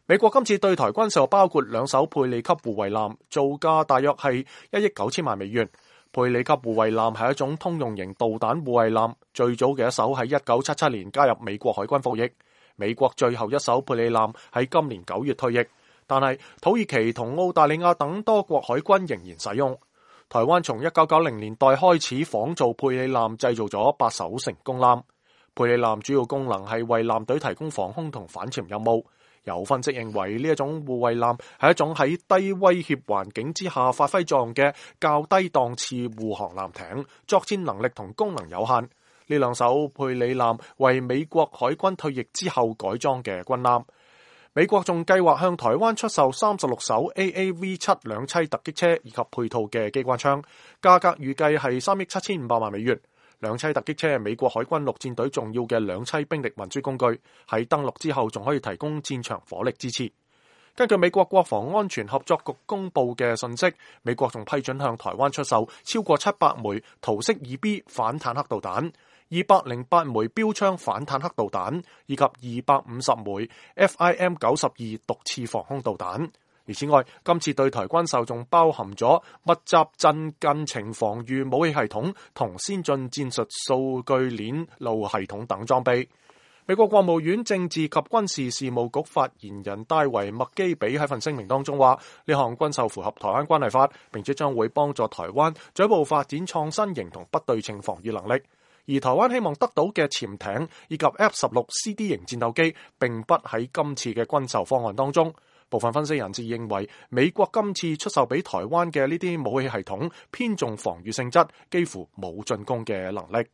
美國今次對台軍售包括2艘佩里級護衛艦，造價大約係1億9千萬美元。佩里級護衛艦係一種通用型導彈護衛艦，最早嘅一艘喺1977年加入美國海軍服役。美國最後一艘佩里艦喺今年9月退役，但係土耳其同澳大利亞等多國海軍仍然使用。台灣從1990年代開始仿造佩里艦，製造咗8艘成功艦。佩里艦主要功能係為艦隊提供防空同反潛任務。有分析認為呢一種護衛艦係一種喺低威脅環境之下發揮作用嘅較低檔次護航艦艇，作戰能力同功能有限。呢2艘佩里艦為美國海軍退役之後改裝嘅軍艦。美國仲計劃向台灣出售36艘 AAV7 兩棲突擊車以及配套嘅機關槍，價格預計係3億7500萬美元。兩棲突擊車係美國海軍陸戰隊重要嘅兩棲兵力運輸工具，喺登陸之後仲可以提供戰場火力支持。根據美國國防安全合作局公布嘅信息，美國仲批准向台灣出售超過700枚桃式 2B 反坦克導彈、208枚標槍反坦克導彈以及250枚 FIM-92 毒刺防空導彈。而此外，今次對台軍售仲包含咗密集陣近程防禦武器系統同先進戰術數據鏈路系統等裝備。美國國務院政治及軍事事務局發言人戴維麥基比喺份聲明當中話，呢項軍售符合台灣關係法，並且將會幫助台灣進一步發展創新型同不對稱防禦能力。而台灣希望得到嘅潛艇以及 F-16CD 型戰鬥機並不喺今次嘅軍售方案當中。部分分析人士認為，美國今次出售俾台灣嘅呢啲武器系統偏重防禦性質，幾乎冇進攻嘅能力。